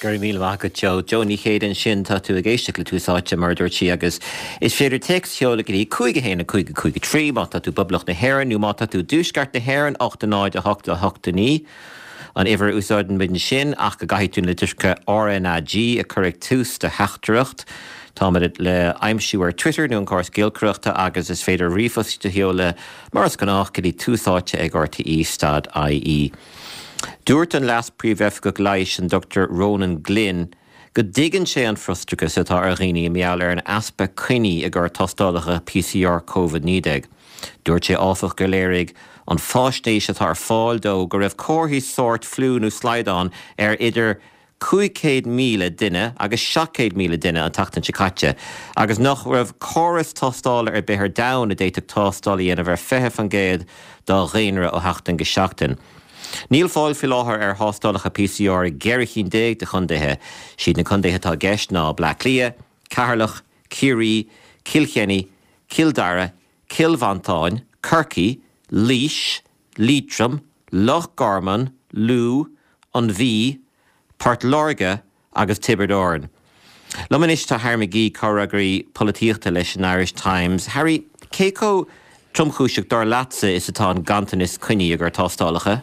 Go raibh míle maith agat Joe. Joe Ní Chéide ansin, tá tú ag éisteacht le Tús Áite mar a dúirt sí agus is féidir téacs a sheoladh go dtí 5 1 5 5 3 má tá tú i bPoblacht na hÉireann nó má tá tú i dTuaisceart na hÉireann 8 0 8 8 9 an uimhir a úsáideann muid ansin ach go gcaithfidh tú na litreacha RnaG a chur ag tús do theachtaireacht. Táimid le aimsiú ar Twitter nó an córas giolcaireachta agus is féidir ríomhphost a sheoladh mar is gnách go dtí tús áite ag rte stad ie. Dúirt an Leas-Phríomhoifigeach Leighis an Dr Ronan Glynn go dtuigeann sé an frustrachas atá ar dhaoine i ngeall ar an easpa coinní i gcomhair tástálacha PCR Covid-19. Dúirt sé áfach gur léirigh an fáisnéis atá ar fáil dó go raibh comharthaí sóirt fliú nó slaghdán ar idir 500,000 duine agus 700,000 duine an tseachtain seo caite agus nach raibh córas tástála ar bith ar domhan a d'fhéadfadh tástáil a dhéanamh ar 20% dá dhaonra ó sheachtain go seachtain. Níl fáil faoi láthair ar thástálacha PCR i gceithre chinn déag de chontaetha. Siad na contaetha atá i gceist ná Bleá Cliath, Ceatharlach, Ciarraí, Cill Chainnigh, Cill Dara, Cill Mhantáin, Corcaigh, Laois, Liatroim, Loch Garman, Lú, An Mhí, Port Láirge agus Tiobraid Árann. Liom anois tá Harry McGee, comhfhreagraí polaitíochta leis an Irish Times. Harry, cé chomh tromchúiseach, dar leatsa, is atá an ganntanas coinní i gcomhair tástálacha?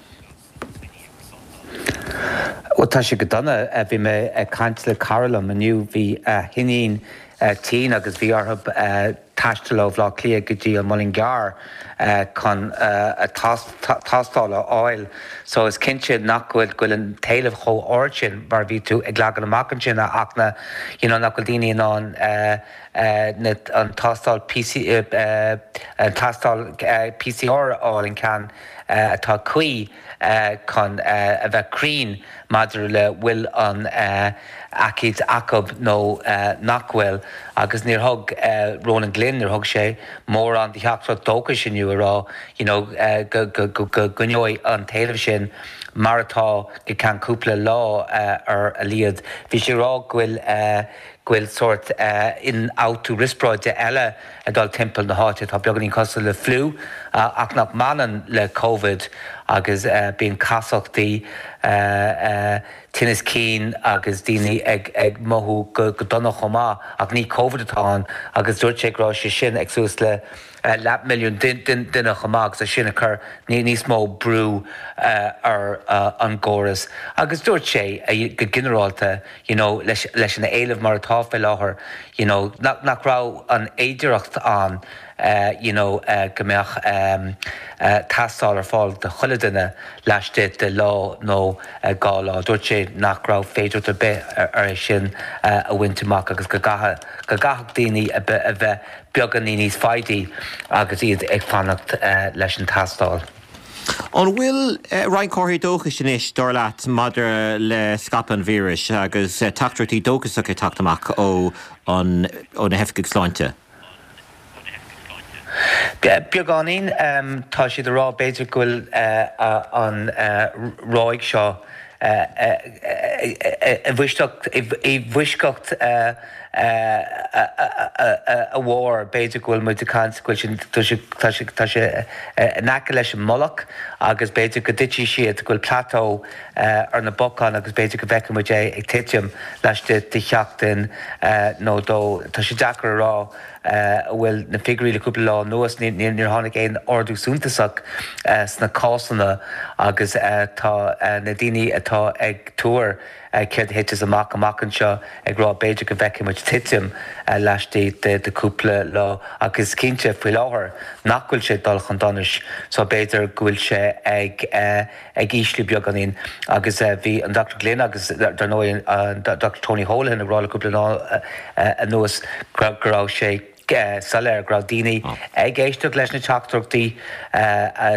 Bhuel, tá sé go dona. Bhí mé ag caint le cara liom inniu, bhí a hiníon tinn agus bhí orthu taisteal ó Bhaile Átha Cliath go dtí an Muileann gCearr chun a tástáil a fháil. So is cinnte nach bhfuil go bhfuil an t-éileamh chomh ard sin mar a bhí tú ag leagan amach ansin a Fhachtna, you know nach bhfuil daoine in ann na an tástáil PC an tástáil PCR a fháil an ceann atá cuí chun a bheith cruinn maidir le bhfuil an aicíd acu nó nach bhfuil agus níor thug Ronan Glynn, níor thug sé mórán de theachtaireacht dóchais inniu a rá you know go gcoinneoidh an t-éileamh sin mar atá go ceann cúpla lá ar a laghad. Bhí sé ag rá go bhfuil go bhfuil sórt ionfhabhtú riospráide eile ag dul timpeall na háite atá beagáinín cosúil le fliú ach nach mbaineann le Covid agus bíonn casachtaí, tinneas cinn agus daoine ag mothú go dona chomh maith ach ní Covid atá ann agus dúirt sé go raibh sé sin ag suas le leathmhilliún duine chomh maith agus é sin ag cur níos mó brú ar an gcóras agus dúirt sé go ginearálta you know leis leis an éileamh mar atá fé láthair you know nach nach raibh an fhéidireacht ann you know go mbeadh tástáil ar fáil do chuile duine laistigh de lá nó 2 lá. Dúirt sé nach raibh féidireacht ar bith ar é sin a bhaint amach agus go gcaithfeadh go gcaithfeadh daoine a bheith beagáinín níos foighidí agus iad ag fanacht leis an tástáil. An bhfuil roinnt comharthaí dóchais anois, dar leat, maidir le scaipeadh an víris agus teachtaireachtaí dóchasacha ag teacht amach ó ó na hoifigigh sláinte? Beagáinín. Tá siad ag rá b'fhéidir go bhfuil an ráig seo i bhfoisceacht a bharr, b'fhéidir go bhfuil muid ag caint go bhfuil sé, tá sé, tá sé in aice leis an mullach agus b'fhéidir go dtitfidh siad, go bhfuil plateau ar na bacáin agus b'fhéidir go bhfeicfidh muid é ag titim laistigh de sheachtain nó dó. Tá sé deacair a rá an bhfuil na figiúirí le cúpla lá anuas, níor tháinig aon ardú suntasach sna cásanna agus tá na daoine atá ag tuar céard a thiteas amach amach anseo ag rá b'fhéidir go bhfeicfidh muid titim laistigh de chúpla lá ach is cinnte faoi láthair nach bhfuil sé ag dul chun donais so b'fhéidir go bhfuil sé ag ag ísliú beagáinín agus bhí an Dr Glynn agus dar ndóigh an Dr Tony Holohan ag rá le cúpla lá anuas go raibh sé soiléir go raibh daoine ag éisteacht leis na teachtaireachtaí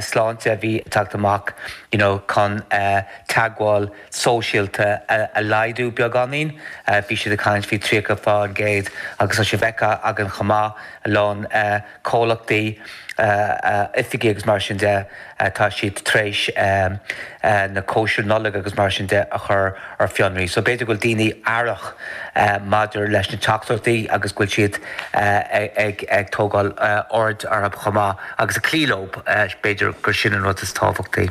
sláinte a bhí ag teacht amach you know chun teagmháil sóisialta a laghdú beagáinín. Bhí siad ag caint faoi 30% agus tá sé feicthe againn chomh maith a lán comhlachtaí, oifigí agus mar sin de, tá siad tar éis na cóisir Nollag agus mar sin de a chur ar fionraí. So b'fhéidir go bhfuil daoine aireach maidir leis na teachtaireachtaí agus go bhfuil siad ag tógáil aird orthu chomh maith agus ag cloí leo, b'fhéidir gur sin an rud is tábhachtaí.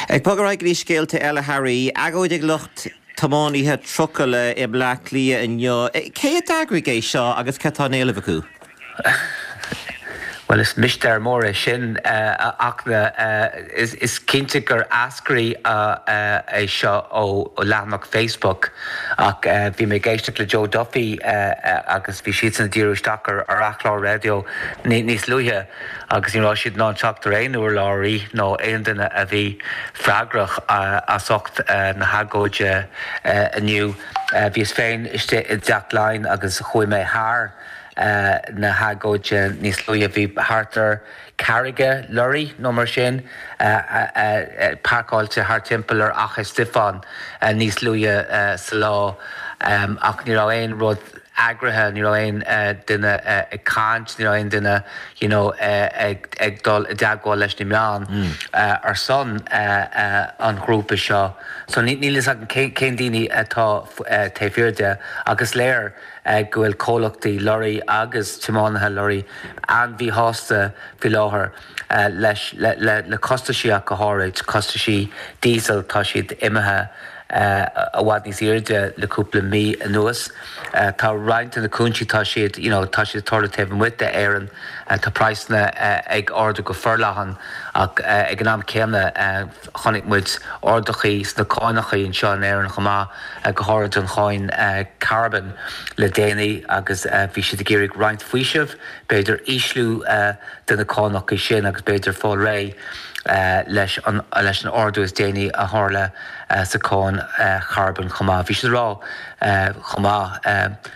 Ag bogadh ar aghaidh go dtí scéalta eile, Harry, agóid ag lucht. tiománaithe trucaile i mBleá Cliath inniu. Cé a d'eagraigh é seo agus cad tá á éileamh acu? Bhuel, is mistéir mór é sin, a Fhachtna. Is cinnte gur eascraigh é seo ó leathanach Facebook ach bhí mé ag éisteacht le Joe Duffy agus bhí siadsan ag díriú isteach ar a chlár raidió níos luaithe agus ní raibh siad in ann teacht ar aon urlabhraí nó aon duine a bhí freagrach as ucht na hagóide inniu. Bhíos féin istigh i dTeach Laighean agus chuaigh mé thar na hagóide níos luaithe. Bhí thart ar 40 lorry nó mar sin páirceáilte thart timpeall ar Fhaiche Stiofáin níos luaithe sa lá ach ní raibh aon rud eagraithe, ní raibh aon duine ag caint, ní raibh aon duine you know ag dul i dteagmháil leis na meáin ar son an ghrúpa seo. So níl fhios agam cén daoine atá taobh thiar de ach is léir go bhfuil comhlachtaí lorraí agus tiománaithe lorraí an-mhíshásta faoi láthair leis le costaisí ach go háirid, costaisí diesel, tá siad imithe i bhfad níos airde le cúpla mí anuas. Tá roinnt de na cúinsí, tá siad, you know, tá siad ag tarlú taobh amuigh d'Éirinn, tá praghsanna ag ardú go forleathan ach ag an am céanna, Chonaic muid arduithe sna cáinacha anseo in Éirinn chomh maith, go háirid an cháin carbóin le déanaí agus bhí siad ag iarraidh roinnt faoisimh, b'fhéidir ísliú de na cánacha sin agus b'fhéidir fáil réidh leis an leis an ardú is déanaí a tharla sa cháin charbóin chomh maith. Bhí siad ag rá chomh maith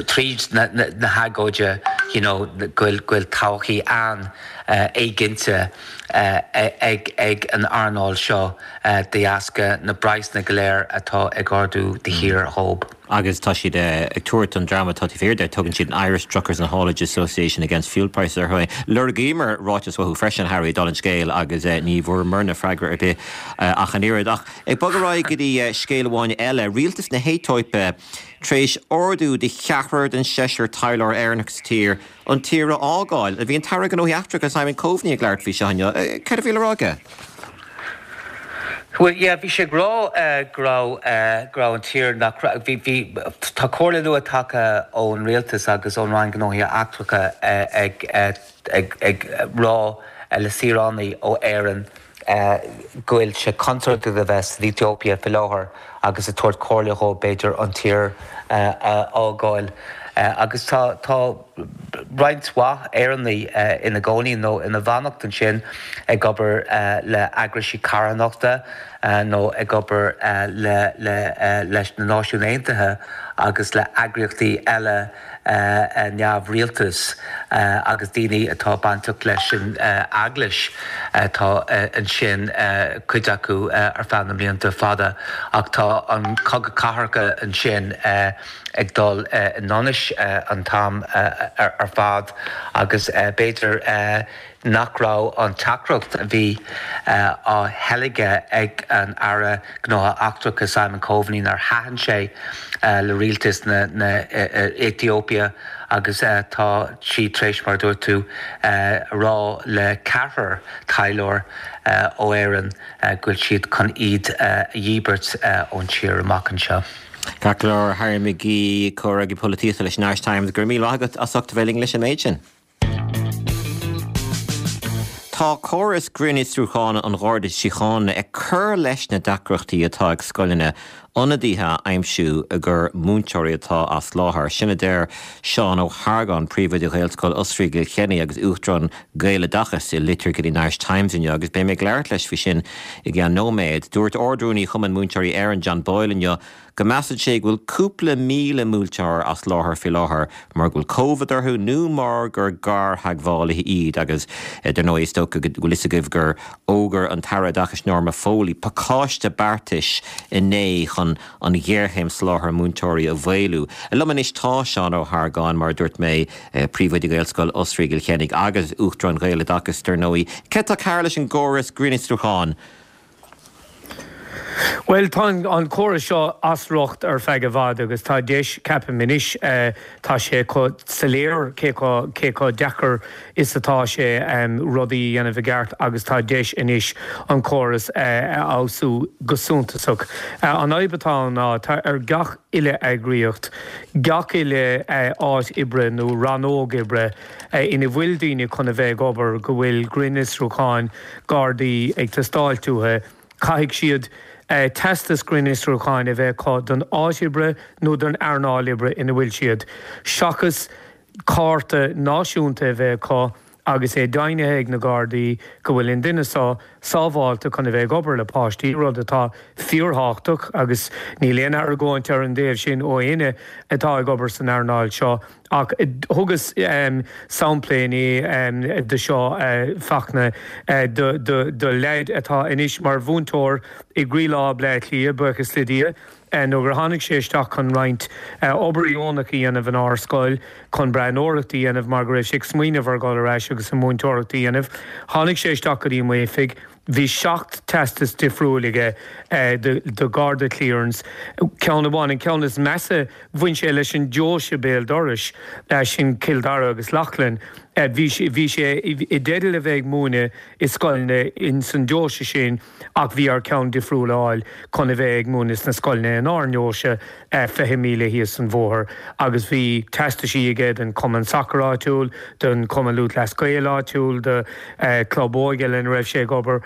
tríd na hagóide you know go bhfuil todhchaí an-éiginnte ag ag an earnáil seo de dheasca na bpraghsanna go léir atá ag ardú de shíor dhóibh. Agus tá siad ag tabhairt don dream atá taobh thiar de, tugann siad an Irish Truckers and Haulage Association Against Fuel Prices orthu. Lorgaíomar ráiteas uathu freisin, Harry, dála an scéil, agus ní bhfuaireamarna freagra ar bith ach an oiread. Ach ag bogadh ar aghaidh go dtí scéal amháin eile, Rialtas na hAetóipe Tar éis ordú do cheathrar den seisear taidhleoir Éireannach sa tír an tír a fhágáil, bhí an tAire Gnóthaí Eachtracha Simon Coveney ag labhairt faoi seo inniu. Céard a bhí le rá aige? Bhuel, yeah, bhí sé ag rá go raibh, go raibh an tír, nach raibh, bhí, bhí, tá comhairle nua tagtha ón rialtas agus ón Roinn Gnóthaí Eachtracha ag, ag, ag rá le saoránaigh ó Éirinn, go bhfuil sé contúirteach a bheith san Aetóipia faoi láthair agus ag tabhairt comhairle dhóibh b'fhéidir an tír a fhágáil. Agus tá tá roinnt mhaith Éireannaigh ina gcónaí nó ina bhfanacht ansin ag obair le eagraisí carthanachta nó ag obair le le leis na Náisiúin Aontaithe agus le eagraíochtaí eile neamhrialtais agus daoine atá bainteach leis an eaglais atá ansin, cuid acu ar feadh na mblianta fada. Ach tá an cogadh cathartha ansin ag dul i ndonas an t-am ar fad agus b'fhéidir nach raibh an teachtaireacht a bhí á theilgeadh ag an Aire Gnóthaí Eachtracha Simon Coveney nár thaitin sé le rialtas na Aetóipia agus tá siad tar éis, mar a dúirt tú, a rá le ceathrar taidhleoir ó Éirinn go bhfuil siad chun iad a dhíbirt ón tír amach anseo. Ceart go leor, Harry McGee, Comhfhreagraí Polaitíochta leis an Irish Times, go raibh míle maith agat as ucht a bheith linn leis an méid sin. Tá córas grinnfhiosrúcháin an Gharda Síochána ag cur leis na deacrachtaí atá ag scoileanna ionadaithe a aimsiú i gcomhair múinteoirí atá as láthair. Sin a deir Seán Ó hArgáin, Príomhoide Ghaelscoil Osraí i gCill Chainnigh agus Uachtarán Gaeloideachas i litir go dtí an Irish Times inniu agus beidh mé ag labhairt leis faoi sin i gceann nóiméad. Dúirt Ard-Rúnaí Chumann Múinteoirí Éireann, John Boyle inniu go measann sé go bhfuil cúpla 1,000 múinteoir as láthair faoi láthair mar go bhfuil Covid orthu nó mar gur gartheagmhálaithe iad agus dar ndóigh is dócha go bhfuil fhios agaibh gur fhógair an tAire Oideachais Norma Foley pacáiste beartais inné chun an ghéarchéim soláthair múinteoirí a mhaolú. Liom anois tá Seán Ó hArgáin, mar a dúirt mé, Príomhoide Ghaelscoil Osraí i gCill Chainnigh agus Uachtarán Ghaeloideachas dar ndóigh. Céard atá cearr leis an gcóras grinnfhiosrúcháin? Bhuel, tá an córas seo as riocht ar feadh i bhfad agus tá deis, ceapaim anois, tá sé chomh soiléir cé chomh, cé chomh deacair is atá sé rudaí a dhéanamh i gceart agus tá deis anois an córas a fheabhsú go suntasach. An fhadhb atá ann ná tá ar gach uile eagraíocht, gach uile áit oibre nó rannóg oibre ina bhfuil daoine chun a bheith ag obair go bhfuil grinnfhiosrúcháin Gardaí ag teastáilt uathu, Caithfidh siad teastas grinnfhiosrúcháin a bheith acu don áit oibre nó don earnáil oibre ina bhfuil siad, seachas cárta náisiúnta a bheith acu agus é deimhnithe ag na Gardaí go bhfuil an duine seo sábháilte chun a bheith ag obair le páistí, rud atá fíorthábhachtach agus níl aon argóint ar an dtaobh sin ó éinne atá ag obair san earnáil seo. Ach thugas sampla inné de seo, Fachtna, do leaid atá anois mar mhúinteoir i gcroílár Bhleá Cliath, buíochas le Dia, nuair gur tháinig sé isteach chun roinnt obair dheonach a dhéanamh in ár scoil, chun breathnóireacht a dhéanamh mar go raibh sé ag smaoineamh ar dhul ar ais agus an mhúinteoireacht a dhéanamh. Tháinig sé isteach go dtí m'oifig. Bhí 7 teastas difriúil aige de Garda clearance, ceann amháin, an ceann is measa, bhain sé leis an deoise béal dorais, sin Cill Dara agus Leighlin. Bhí bhí sé i dteideal a bheith ag múineadh i scoileanna in san deoise sin ach bhí air ceann difriúil a fháil chun a bheith ag múineadh sna scoileanna inár ndeoise, 20 míle thíos an bhóthar agus bhí teastaisí aige don chumann sacair áitiúil, don Chumann Lúthchleas Gael áitiúil, do chlub óige lena raibh sé ag obair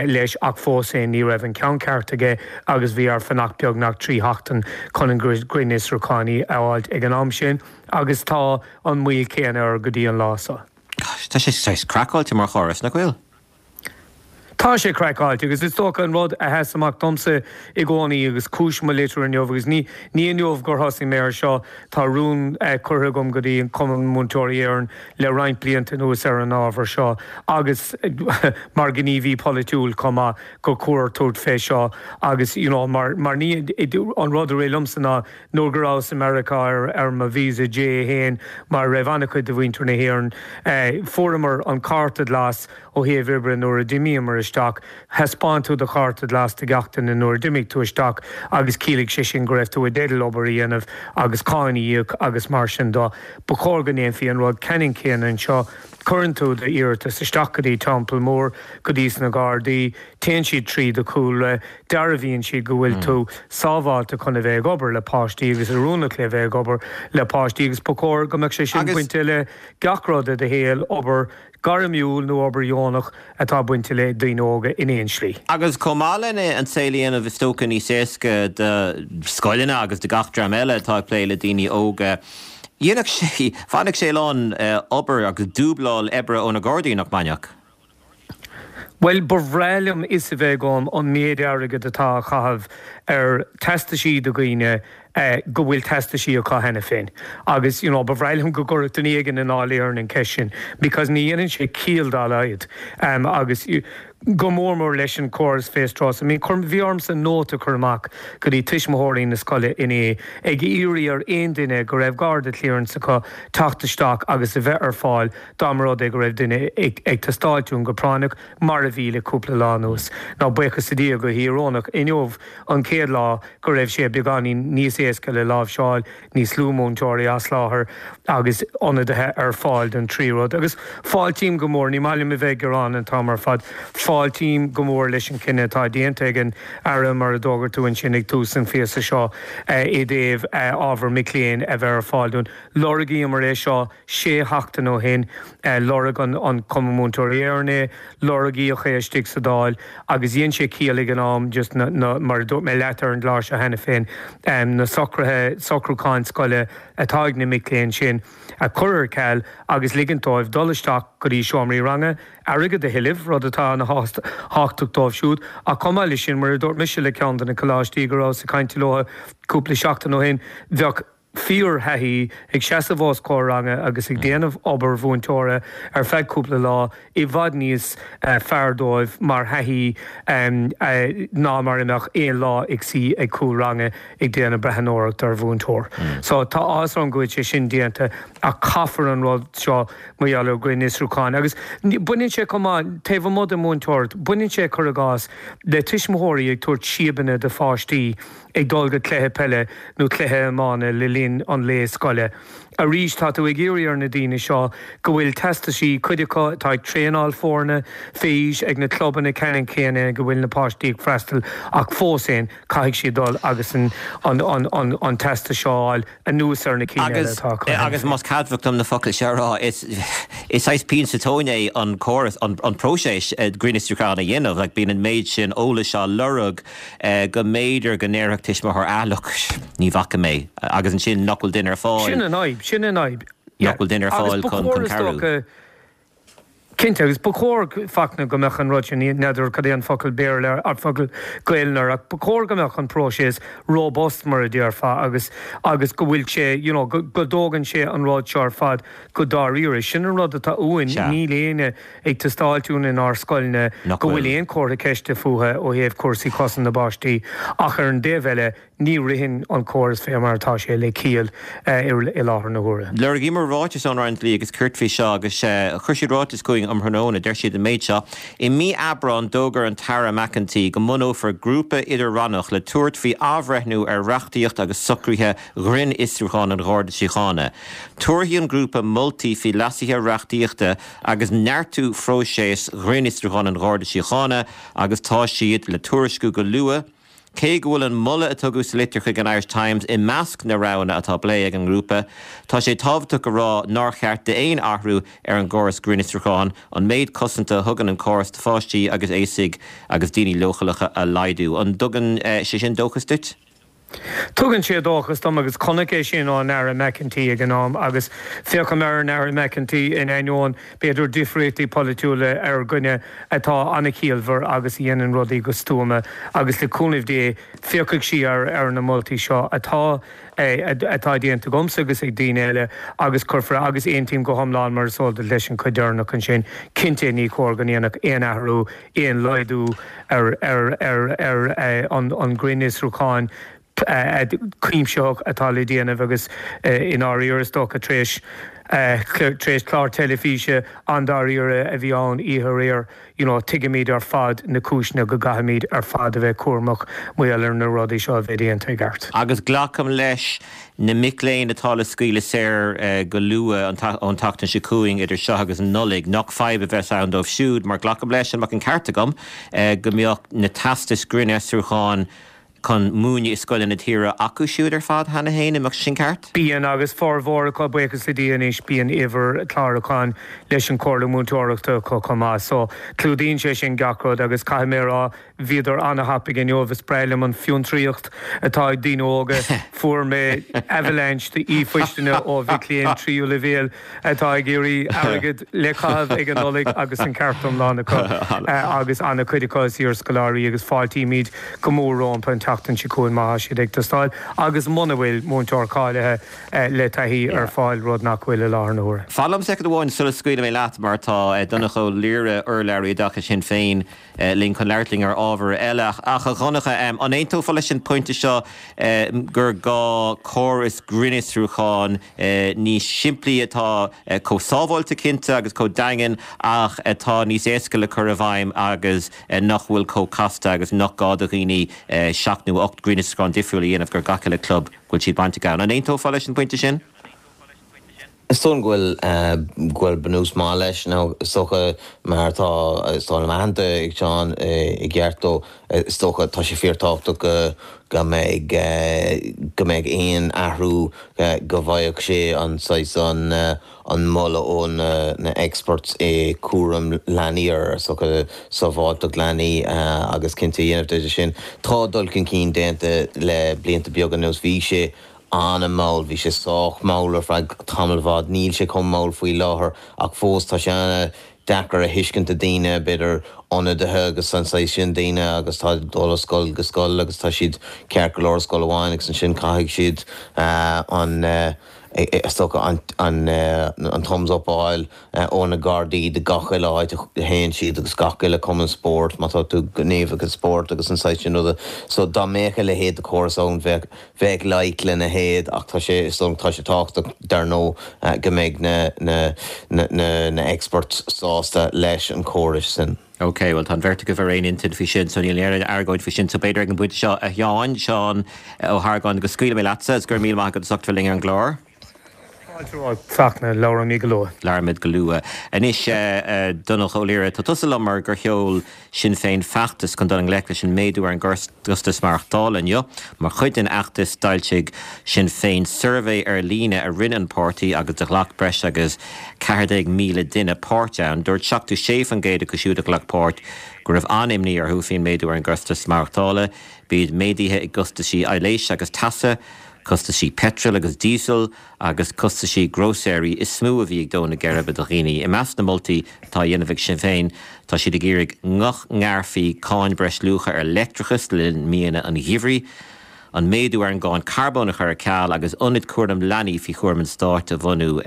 leis ach fós féin ní raibh an ceann ceart aige agus bhí air fanacht beagnach 3 sheachtain chun an grinnfhiosrúchán a fháilt ag an am sin agus tá an mhoill chéanna air go dtí an lá seo. Tá sé saghas craiceáilte mar chóras, nach bhfuil? Tá sé craiceáilte agus is dócha an rud a sheas amach domsa i gcónaí agus cúis mo litir inniu agus ní ní inniu gur thosaigh mé ar seo, tá rún curtha agam go dtí an Cumann Múinteoirí Éireann le roinnt blianta anuas ar an ábhar seo agus mar ghníomhaí polaitiúil chomh maith gur chóir tabhairt fé seo agus you know mar mar ní an rud a rith liomsa ná nuair go rabhas i Meiriceá ar ar mo visa J1 mar a raibh an-chuid de mhuintir na hÉireann fuaireamar an cárta glas Ó thaobh oibre, nuair a d'imíomar isteach, thaispeáin tú do chárta glas do gach duine nuair a d'imigh tú isteach agus chiallaigh sé sin go raibh tú i dteideal obair a dhéanamh agus cáin a íoc agus mar sin de. Ba chóir go ndéanfaí an rud ceannann céanna anseo. Cuireann tú d'iarratas isteach go dtí Teampall Mór, go dtí sna Gardaí, téann siad trí do chúlra, dearbhaíonn siad go bhfuil tú sábháilte chun a bheith ag obair le páistí agus oiriúnach le bheith ag obair le páistí agus ba chóir go mbeadh sé sin bainte le gach rud i do shaol, obair, gairmiúil nó obair dheonach atá bainte le daoine óga in aon slí. Agus chomh maith lena an saol a dhéanamh is dócha níos éasca do scoileanna agus do gach dream eile atá ag plé le daoine óga, dhéanfadh sé, bhainfeadh sé a lán obair agus dúbláil oibre ó na Gardaí, nach mbainfeadh? Bhuel, ba bhreá liom fhios a bheith agam an méid airgid atá á chaitheamh ar teastaisí do dhaoine go bhfuil teastaisí acu cheana féin. Agus, you know, ba bhreá liom go gcuirfeadh duine éigin i nDáil Éireann an cheist sin because ní dhéanann sé ciall dá laghad. Agus go mór mór leis an chóras FaceTrace. I mean, chuir, bhí ormsa nóta a chur amach go dtí tuismitheoirí na scoile inné ag iarraidh ar aon duine go raibh Garda clearance acu teacht isteach agus a bheith ar fáil dá mba rud é go raibh duine ag teastáilt uainn go práinneach, mar a bhí le cúpla lá anuas. Now, buíochas le Dia, go híorónach, inniu an chéad lá go raibh sé beagáinín níos éasca le láimhseáil, níos lú múinteoirí as láthair agus ionadaithe ar fáil don trí rud. Agus fáiltím go mór, ní maith liom a bheith ag gearán an t-am ar fad, fáiltím go mór leis an chinneadh atá déanta ag an Aire, mar a d'fhógair tú ansin ag tús an phíosa seo, i dtaobh ábhar mic léinn a bheith ar fáil dúinn. Lorgaíomar é seo. Sé sheachtain ó shin, lorg an Cumann Múinteoirí Éireann é, lorgaíodh é istigh sa Dáil agus dhein sé ciall ag an am just na, na, mar a dúirt mé leat ar an gclár seo cheana féin, na socruithe, socrúcháin scoile atá ag na mic léinn sin a chur ar ceal agus ligint dóibh dul isteach go dtí seomraí ranga, airgead a thuilleamh, rud atá ana thábhachtach dóibh siúd. Ach chomh maith leis sin, mar a dúirt mise le ceann de na coláistí go rabhas ag caint leo cúpla seachtain ó shin, bheadh. fíor-thaithí ag seasamh os comhair ranga agus ag déanamh obair mhúinteora ar feadh cúpla lá i bhfad níos fearr dóibh mar thaithí ná mar a mbeadh aon lá ag suí ag cúl ranga ag déanamh breathnóireacht ar mhúinteoir. So tá áthas orm go bhfuil sé sin déanta ach caithfear an rud seo mar gheall ar ghrinnfhiosrúchán agus baineann sé chomh maith, taobh amuigh den mhúinteoireacht, baineann sé, cuir i gcás, le tuismitheoirí ag tabhairt síobanna do pháistí. ag dul go cluiche peile nó cluiche iomána le linn an lae scoile. Arís, tá tú ag iarraidh ar na daoine seo go bhfuil teastaisí, cuid acu atá ag traenáil foirne fé aois ag na clubanna ceannann céanna ag a bhfuil na páistí ag freastal ach fós féin caithfidh siad dul agus an an teastas seo a fháil anuas ar na cinn eile atá acu cheana Agus más ceadmhach dom na focail seo a rá, is is saghas pian sa tóin é an córas, an próiseas grinnfhiosrúcháin a dhéanamh. Like bíonn an méid sin eolais á lorg go mb'fhéidir go ndéarfadh tuismitheoir ah look, ní bhfaca mé agus ansin nach bhfuil duine ar fáil. Sin an fhadhb, sin an fhadhb. Nach bhfuil duine ar fáil chun cabhrú. Cinnte, agus ba chóir, Fachtna, go mbeadh an rud sin, n'fheadar cad é an focal Béarla air, an focal Gaelainne air, ach ba chóir go mbeadh an próiseas robust mar a déarfá agus agus go bhfuil sé, you know, go dtógann sé an rud seo ar fad go dáiríre. Sin an rud atá uainn, níl éinne ag teastáilt uainn inár scoileanna go bhfuil aon chomhartha ceiste fúthu ó thaobh cúrsaí cosaint na bpáistí ach ar an dtaobh eile ní ritheann an córas fé mar atá sé le ciall i láthair na huaire. Lorgaíomar ráiteas ón Roinn Dlí agus Cirt faoi seo agus chuir siad ráiteas chugainn um thráthnóna. Deir siad an méid seo, I mí Aibreáin d'fhógair an tAire McEntee go mbunófar grúpa idir-rannach le tabhairt faoi athbhreithniú ar reachtaíocht agus socruithe ghrinnfhiosrúchán an Gharda Síochána. Tabharfaidh an grúpa moltaí faoi leasuithe reachtaíochta agus neartú phróiseas ghrinnfhiosrúchán an Gharda Síochána agus tá siad le tuairisciú go luath. Cé go bhfuil an moladh a tugadh sa litir chuig an Irish Times i measc na roghanna atá á bplé ag an ngrúpa, tá sé tábhachtach a rá nár cheart d'aon athrú ar an gcóras grinnfhiosrúcháin an méid cosanta a thugann an córas do pháistí agus aosaigh agus daoine leochaileacha a laghdú. An dtugann sé sin dóchas duit? Tugann sé dóchas dom agus chonac é sin ón Aire McEntee ag an am agus féachaim ar an Aire McEntee in ainneoin b'fhéidir difríochtaí polaitiúla ar dhuine atá an-chiallmhar agus a dhéanann rudaí go stuama agus le cúnamh Dé féachfaidh sí ar ar na moltaí seo atá atá déanta agamsa agus ag daoine eile agus cuirfear agus aontaím go hiomlán mar is eol duit leis an chuid deireanach ansin cinnte ní chóir go ndéanfadh aon athrú aon laghdú ar an ngrinnfhiosrúchán cuimsitheach atá le déanamh agus i ndáiríre is dócha tar éis tar éis clár teilifíse an-dáiríre a bhí ann oíche aréir you know tuigimid ar fad na cúiseanna go gcaithfimid ar fad a bheith cúramach mar gheall ar na rudaí seo a bheith déanta i gceart. Agus glacaim leis na mic léinn atá le scaoileadh saor go luath ón tseachtain seo chugainn, idir seo agus an Nollaig, nach fadhb a bheas ann dóibh siúd, mar glacaim leis, an mbeadh an ceart agam, go mbeadh na teastais grinnfhiosrúcháin chun múineadh i scoileanna na tíre acu siúd ar fad cheana féin, an mbeadh sé sin ceart? Bíonn, agus formhór acu, buíochas le Dia anois, bíonn uimhir clárúcháin leis an Chomhairle Múinteoireachta acu chomh maith. So, clúdaíonn sé sin gach rud agus caithfidh mé a rá, Bhíodar ana-thapaidh inniu. Is breá liom an fiontraíocht atá ag daoine óga. Fuair mé avalanche de ríomhphoisteanna ó mhic léinn tríú leibhéal atá ag iarraidh airgead le caitheamh ag an Nollaig agus an ceart iomlán acu agus ana-chuid acu is iarscoláirí agus fáiltímid go mór rompu an tseachtain seo chugainn má tá siad ag teastáil agus muna bhfuil múinteoir cáilithe le taithí ar fáil, rud nach bhfuil i láthair na huaire. Fan liom soicind amháin sula scaoilfidh mé leat mar tá Donncha Ó Laoire, urlabhraí oideachais Shinn Féin, linn chun labhairt linn ar ábhar eile. Ach, a Dhonncha, an aontófá leis an pointe seo gur gá córas grinnfhiosrúcháin níos simplí atá chomh sábháilte cinnte agus chomh daingean ach atá níos éasca le cur i bhfeidhm agus nach bhfuil chomh casta agus nach gá do dhaoine seacht nó 8 grinnfhiosrúchán difriúil a dhéanamh gur gach uile club go bhfuil siad bainteach ann. An aontófá leis an bpointe sin? Is dóigh liom go bhfuil, go bhfuil bunús maith leis nó is dócha mar atá, is dóigh liom aitheanta ag Seán i gceart dó, is dócha tá sé fíortábhachtach go, go mbeidh, go mbeidh aon athrú go bhfaigheadh sé an saghas, an, an moladh ó na, na experts i cúram leanaí ar is dócha sábháilteacht leanaí agus cinnte a dhéanamh de sin. Tá dul chun cinn déanta le blianta beaga anuas, bhí sé an-mhall. Bhí sé sách mall ar feadh tamaill mhaith. Níl sé chomh mall faoi láthair ach fós tá sé an-deacair a thuiscint do daoine, b'fhéidir. ionadaithe agus an saghas sin daoine agus tá ag dul ó scoil go scoil agus tá siad ceart go leor i scoil amháin agus ansin caithfidh siad an is dócha an an thumbs up a fháil ó na Gardaí do gach uile áit a théann siad agus gach uile cumann spóirt má tá tú gníomhach i spórt agus an saghas sin ruda. So dá mbeadh a leithéid de chóras ann bheadh bheadh loighic lena leithéid ach tá sé is dóigh tá sé tábhachtach dar ndóigh go mbeidh na na na na experts sásta leis an chóras sin. Ok, bhuel tá an bheirt agaibh ar aon intinn faoi sin so níl aon argóint faoi sin so b'fhéidir ag an bpointe seo a Sheáin, Seán Ó hArgáin go scaoilfidh mé leatsa is go raibh míle maith agat as ucht bheith linn ar an gclár. Fáilte romhat, Fachtna, labhróimid go luath. Labhróimid go luath. Anois, a Dhonncha Ó Laoire, tá tusa liom mar gur sheol Sinn Féin feachtas chun dul i ngleic leis an méadú ar an gcostas maireachtála inniu. Mar chuid den fheachtas, d'fhoilsigh Sinn Féin suirbhé ar líne a rinne an páirtí agus do ghlac breis agus 14,000 duine páirt ann. Dúirt 76% acu siúd a ghlac páirt go raibh an-imní orthu faoin méadú ar an gcostas maireachtála. B'iad méaduithe i gcostaisí aibhléise agus teasa, costaisí peitril agus díosail agus costaisí grósaeirí is mó a bhí ag dó na geirbe do dhaoine. I measc na moltaí atá á dhéanamh ag Sinn Féin, tá siad ag iarraidh nach ngearrfaí cáin breisluacha ar leictreachas le linn míonna an gheimhridh, an méadú ar an gcáin carbóin a chur ar ceal agus ionaid cúraim leanaí faoi chúram an stáit a bhunú.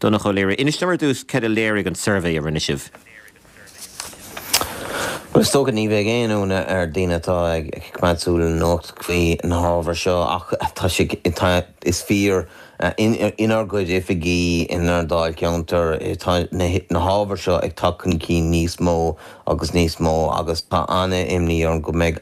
Donncha Ó Laoire, inis dom ar dtús céard a léirigh an suirbhé a rinne sibh. Bhuel, is dócha ní bheidh aon ionadh ar daoine atá ag coimeád súil ar an nuacht faoi na hábhair seo ach tá sé, tá, is fíor, inár gcuid oifigí, inár ndáilcheantar, tá na hábhair seo ag teacht chun cinn níos mó agus níos mó agus tá an-imní orm go mbeidh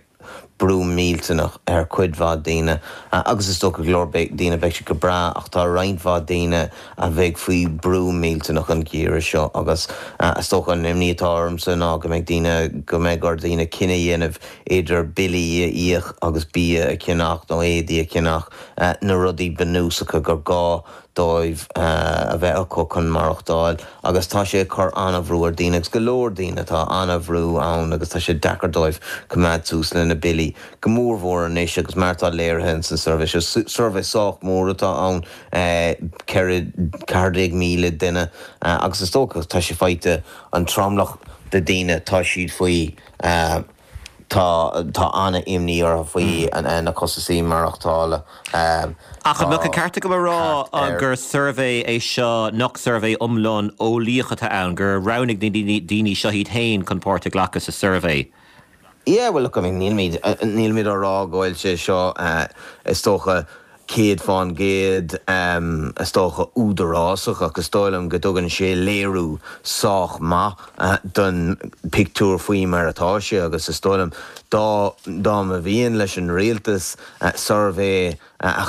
brú millteanach ar chuid mhaith daoine agus is dócha go leor daoine beidh siad go breá ach tá roinnt mhaith daoine a bheidh faoi brú millteanach an geimhreadh seo agus is dócha an imní atá ormsa ná go mbeidh daoine, go mbeidh ar dhaoine cinneadh a dhéanamh idir billí a íoc agus bia a cheannach nó éadaí a cheannach, na rudaí bunúsacha gur gá dóibh a bheith acu chun maireachtáil agus tá sé ag cur an-bhrú ar daoine agus go leor daoine tá an-bhrú ann agus tá sé deacair dóibh coimeád suas le na billí, go mór mhór anois agus mar atá léirithe ins an suirbhé seo, suirbhé sách mór atá ann, 14,000 duine agus is dócha tá sé faighte an tromlach de daoine tá siad faoi. Tá tá an-imní orthu faoi na costasaí maireachtála. Ach an mbeadh an ceart agam a rá gur suirbhé é seo nach suirbhé iomlán eolaíoch atá ann, gur roghnaigh na daoine seo iad féin chun páirt a ghlacadh sa suirbhé? Yeah, well look, I mean nílimid nílimid á rá go bhfuil sé seo is dócha 100% is dócha údarásach ach is dóigh liom go dtugann sé léiriú sách maith don pictiúr faoi mar atá sé agus is dóigh liom dá dá mba mhian leis an rialtas suirbhé a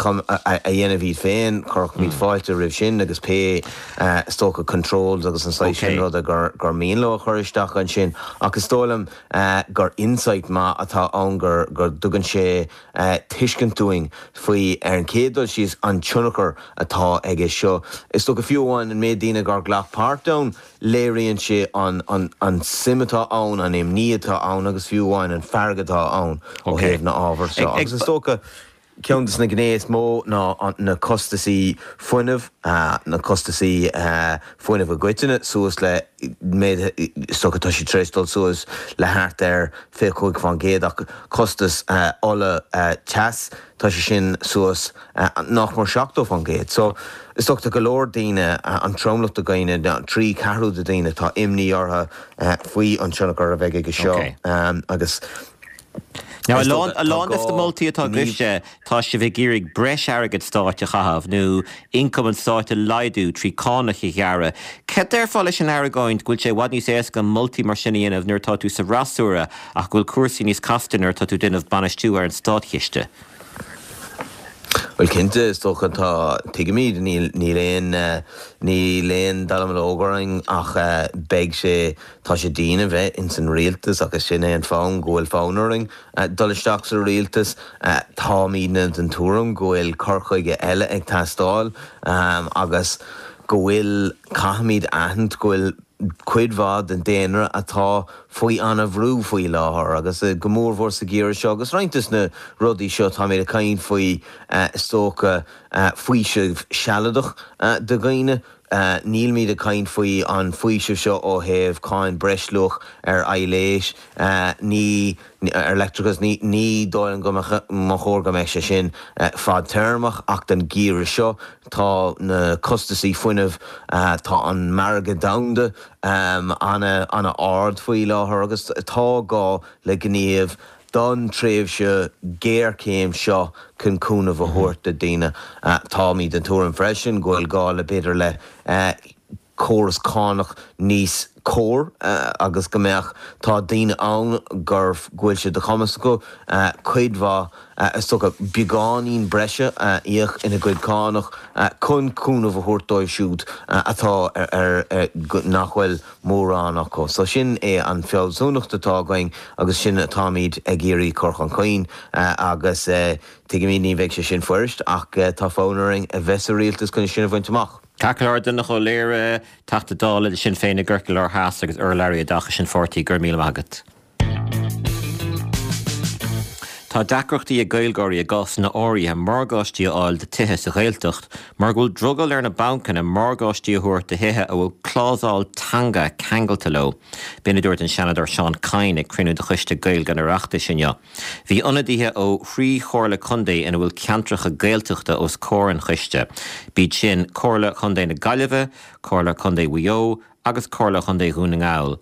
dhéanamh iad féin chuirfeadh muid fáilte roimh sin agus pé is dócha controls agus an saghas sin ruda gur gur mian leo a chur isteach ansin ach is dóigh liom gur insight maith atá ann gur go dtugann sé tuiscint dúinn faoi, ar an chéad dul síos, an tionchar atá aige seo. Is dócha, fiú amháin an méid daoine gur ghlac páirt ann, léiríonn sé an an suim atá ann, an imní atá ann agus fiú amháin an fearg atá ann ó thaobh na ábhar seo. Agus is dócha, ceann de na gné is mó ná na costasaí fuinnimh, na costasaí fuinnimh i gcoitinne suas le méid, is dócha tá siad tar éis dul suas le thart ar 25% ach costas ola teas, tá sé sin suas nach mór 70%. So, is dócha tá go leor daoine, an tromlach de dhaoine, 3 ceathrú de daoine, tá imní orthu faoi an tionchar a bheidh aige seo agus Now, a lán, a lán des na moltaí atá agaibhse, tá sibh ag iarraidh breis airgead stáit a chaitheamh nó ioncam an stáit a laghdú trí cánacha a ghearradh. Cad déarfá leis an argóint go bhfuil sé i bhfad níos éasca moltaí mar sin a dhéanamh nuair atá tú sa fhreasúra ach go bhfuil cúrsaí níos casta nuair atá tú ag déanamh bainistiú ar an státchiste? Bhuel, cinnte, is dócha, tá, tuigimid, níl, níl aon, níl aon dallamullóg orainn ach beidh sé, tá sé dian a bheith ins an rialtas agus sin é an fonn, go bhfuil fonn orainn dul isteach sa rialtas. Táimidne den tuairim go bhfuil cur chuige eile ag teastáil agus go bhfuil, caithfimid aithint go bhfuil cuid mhaith den daonra atá faoi an-bhrú faoi láthair agus go mórmhór sa gheimhreadh seo agus roinnt des na rudaí seo táimid ag caint faoi is dócha faoiseamh sealadach do dhaoine. Nílimid ag caint faoi an faoiseamh seo ó thaobh cáin breisluach ar aibhléis, ní, ar leictreachas, ní, ní dóigh liom go mba chóir go mbeadh sé sin fadtéarmach ach don gheimhreadh seo tá na costasaí fuinnimh, tá an margadh domhanda an-ard faoi láthair agus tá gá le gníomh don tréimhse géarchéim seo chun cúnamh a thabhairt do daoine. Táimid den tuairim freisin go bhfuil gá le b'fhéidir le córas cánach níos cóir agus go mbeadh, tá daoine ann gur, go bhfuil sé de chumas acu cuid mhaith, is dócha, beagáinín breise a íoc ina gcuid cánach chun cúnamh a thabhairt dóibh siúd atá ar, nach bhfuil mórán acu. So sin é an fealsúnacht atá againn agus sin atáimid ag iarraidh cur chun cinn agus tuigimid ní bheidh sé sin fuirist ach tá fonn orainn a bheith sa rialtas chun sin a bhaint amach. Ceart go leor, Donnchadh Ó Laoghaire, Teachta Dála le Sinn Féin i gCorcaigh Láir Theas agus urlabhraí oideachais an pháirtí, go raibh míle maith agat. Tá deacrachtaí ag Gaeilgeoirí i gcásanna áirithe morgáistí a fháil do tithe sa Ghaeltacht mar go bhfuil drogall ar na bancanna morgáistí a thabhairt do thithe a bhfuil clásal teanga ceangailte leo. B'in a dúirt an Seanadóir Seán Kyne ag cruinniú de Choiste Gaeilge an Oireachtais inniu. Bhí ionadaithe ó thrí chomhairle contae ina bhfuil ceantracha Gaeltachta os comhair an choiste. B'iad sin Comhairle Chontae na Gaillimhe, Comhairle Contae Mhaigh Eo agus Comhairle Chontae Dhún na nGall.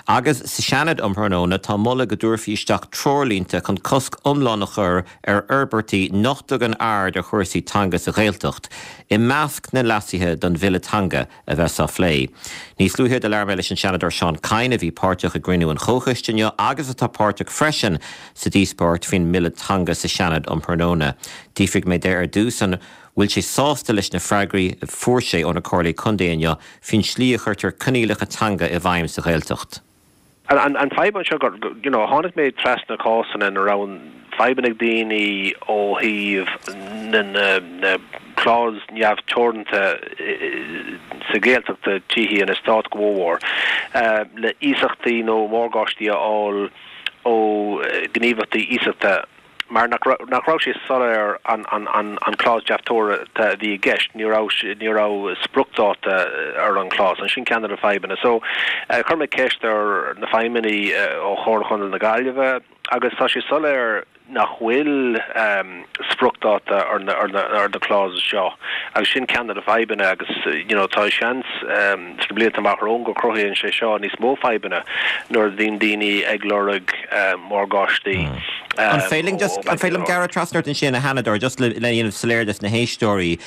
Agus sa Seanad um thráthnóna tá moladh go dtabharfaí isteach treoirlínte chun cosc iomlán a chur ar fhorbairtí nach dtugann aird ar chúrsaí teanga sa Ghaeltacht, i measc na leasuithe don bhille teanga a bheas á phlé. Níos luaithe do labhair mé leis an Seanadóir Seán Kyne a bhí páirteach i gcruinniú an chomhchoiste inniu agus atá páirteach freisin sa díospóireacht faoin mbille teanga sa Seanad um thráthnóna. D'fhiafraigh mé de ar dtús an bhfuil sé sásta leis na freagraí a fuair sé ó na Comhairlí Contae inniu faoin slí a chuirtear coinníollacha teanga i bhfeidhm sa Ghaeltacht. An fadhb anseo gur, you know, tháinig mé trasna cásanna ina raibh fadhbanna ag daoine ó thaobh na na clause neamhteoranta sa Ghaeltacht, tithe in eastát go mórmhór, le iasachtaí nó morgáistí a fháil ó ghníomhaireachtaí iasachta. mar nach raibh sé soiléir an clause neamhteoranta a bhí i gceist, ní raibh ní raibh spriocdháta ar an clause, an sin ceann de na fadhbanna. So, chuir mé ceist ar na feidhmeannaigh ó Chomhairle Chontae na Gaillimhe agus tá sé soiléir nach bhfuil spriocdháta ar na ar na ar na clauses seo agus sin ceann de na fadhbanna agus you know tá seans sna blianta amach romhainn go cruthaíonn sé seo níos mó fadhbanna nuair a bhíonn daoine ag lorg morgáistí. An féidir liom just, an féidir liom gearradh trasna ort ansin, a Sheanadóir, just le dhéanamh soiléir dos na héisteoirí.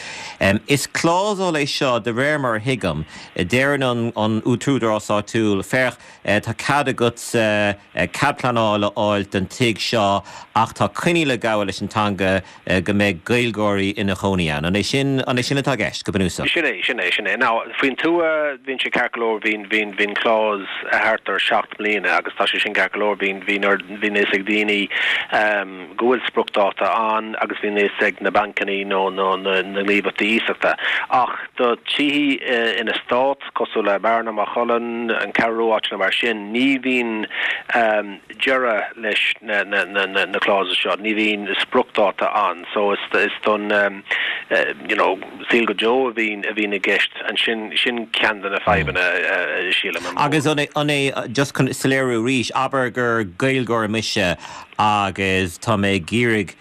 Is clásal é seo, de réir mar a thuigim, deireann an an t-údarás áitiúil, féach, tá cead agatsa cead pleanála a fháil don tigh seo ach tá coinníoll ag gabháil leis an teanga, go mbeidh Gaeilgeoirí ina chónaí ann. An é sin, an é sin atá i gceist, go bunúsach? Sin é, sin é, sin é. Now, faoin tuath, bíonn sé ceart go leor, bíonn, bíonn, bíonn clause thart ar sheacht mbliana agus tá sé sin ceart go leor, bíonn, bíonn ar, bíonn a fhios ag daoine go bhfuil spriocdháta ann agus bíonn a fhios ag na bancanna nó, nó na, na gníomhaireachtaí iasachta. Ach do tithe in eastát, cosúil le Bearna, Maigh Cuilinn, an Cheathrú Rua, áiteanna mar sin, ní bhíonn, deireadh leis na clauses seo, ní bhíonn spriocdháta ann so is don you know saol go deo a bhíonn a bhíonn i gceist ansin, sin ceann de na fadhbanna sílim. Agus an é, just chun soiléiriú arís, abair gur Gaeilgeoir mise agus tá mé ag iarraidh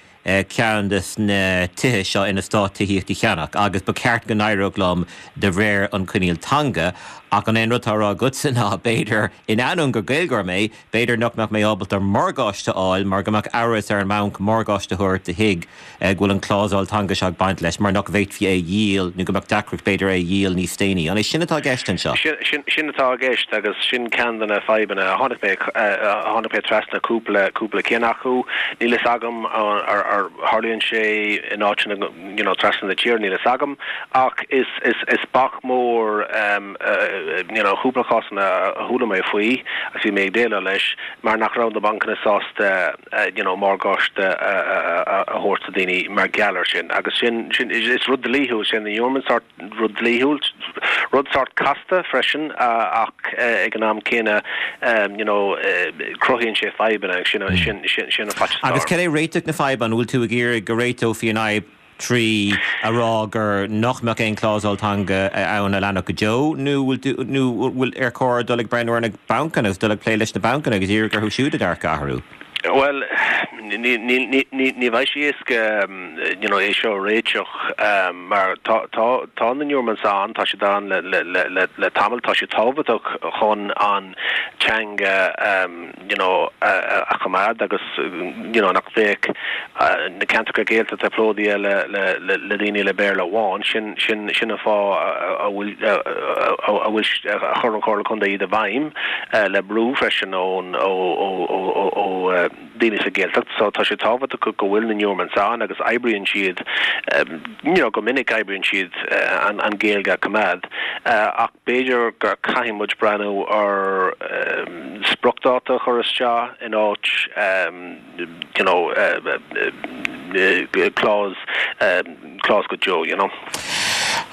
ceann de na tithe seo in eastát tithíochta a cheannach agus ba cheart go n-éireodh liom de réir an choinníll teanga ach an é an rud atá á rá agatsa ná b'fhéidir, in ainneoin gur Gaeilgeoir mé, b'fhéidir nach mbeadh mé ábalta morgáiste a fháil mar go mbeadh amhras ar an mbanc morgáiste a thabhairt do thigh go bhfuil an clásal teanga seo ag baint leis mar nach bhféadfaí é a dhíol nó go mbeadh deacracht b'fhéidir é a dhíol níos déanaí. An é sin atá i gceist anseo? Sin atá i gceist agus sin ceann de na fadhbanna a tháinig mé, tháinig mé trasna cúpla, cúpla ceann acu. Níl fhios agam ar tharlaíonn sé in áiteanna you know trasna na tíre, níl fhios agam ach is, is, is bac mór you know cúpla cásanna a chuala mé faoi agus bhí mé ag déileáil leis mar nach raibh na bancanna sásta you know morgáiste a thabhairt do daoine mar gheall air sin agus sin, sin, is rud dlíthiúil sin, an sórt rud dlíthiúil, rud sórt casta freisin ach ag an am céanna you know cruthaíonn sé fadhbanna agus sin, sin, sin, sin an faitíos Agus cad é réiteach na faidhbe? An bhfuil tú ag iarraidh go réiteofaí an fhadhb? trí a rá gur nach mbeadh aon clásal teanga ann a leanfadh go deo nó bhfuil nó bhfuil ar chóir dul ag breathnú ar na bancanna agus dul ag plé leis na bancanna agus iarraidh orthu siúd a dearcadh a athrú? Bhuel, ní bheidh sé éasca you know é seo a réiteach mar tá tá tá na endowments ann, tá siad ann le le le le tamall, tá siad tábhachtach chun an teanga you know a choimeád agus you know nach mbeadh na ceantracha Gaeltachta plódaithe le le le le daoine le Béarla amháin. Sin sin sin an fáth a bhfuil a bhfuil a chuir an Chomhairle Contae iad i bhfeidhm le brú freisin ón ó ó ó ó ó daoine sa Ghaeltacht. So tá sé tábhachtach go bhfuil na endowments ann agus oibríonn siad you know go minic oibríonn siad an an Ghaeilge a choimeád ach b'fhéidir gur caithfidh muid breathnú ar spriocdháta a chur isteach in áit you know clause clause go deo you know.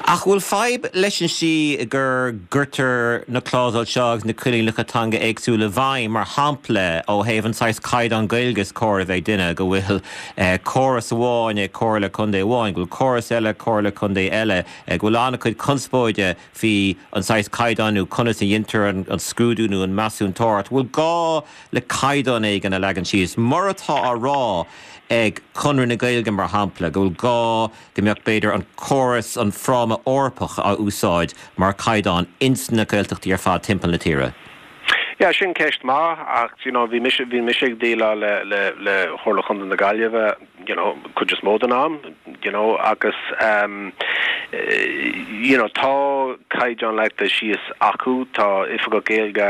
Ach bhfuil fadhb leis an slí gur gcuirtear na clásail seo agus na coinníollacha teanga éagsúla i bhfeidhm, mar shampla ó thaobh an saghas caighdeán Gaeilge is cóir a bheith ag duine, go bhfuil córas amháin ag comhairle contae amháin, go bhfuil córas eile ag comhairle contae eile, go bhfuil an-chuid conspóide faoi an saghas caighdeán nó conas a dheintear an scrúdú nó an measúntóireacht. Bhfuil gá le caighdeán éigin a leagan síos, mar atá á rá ag Conradh na Gaeilge, mar shampla, go bhfuil gá go mbeadh, b'fhéidir, an córas, an fráma Eorpach á úsáid mar chaighdeán ins na Gaeltachtaí ar fad timpeall na tíre? Yeah, sin ceist maith ach, you know, bhí mise, bhí mise ag déileáil le, le, le Chomhairle Chontae na Gaillimhe, you know, cuid is mó den am, you know, agus ehm you know, tá caighdeán leagtha síos acu, tá oifigeach Gaeilge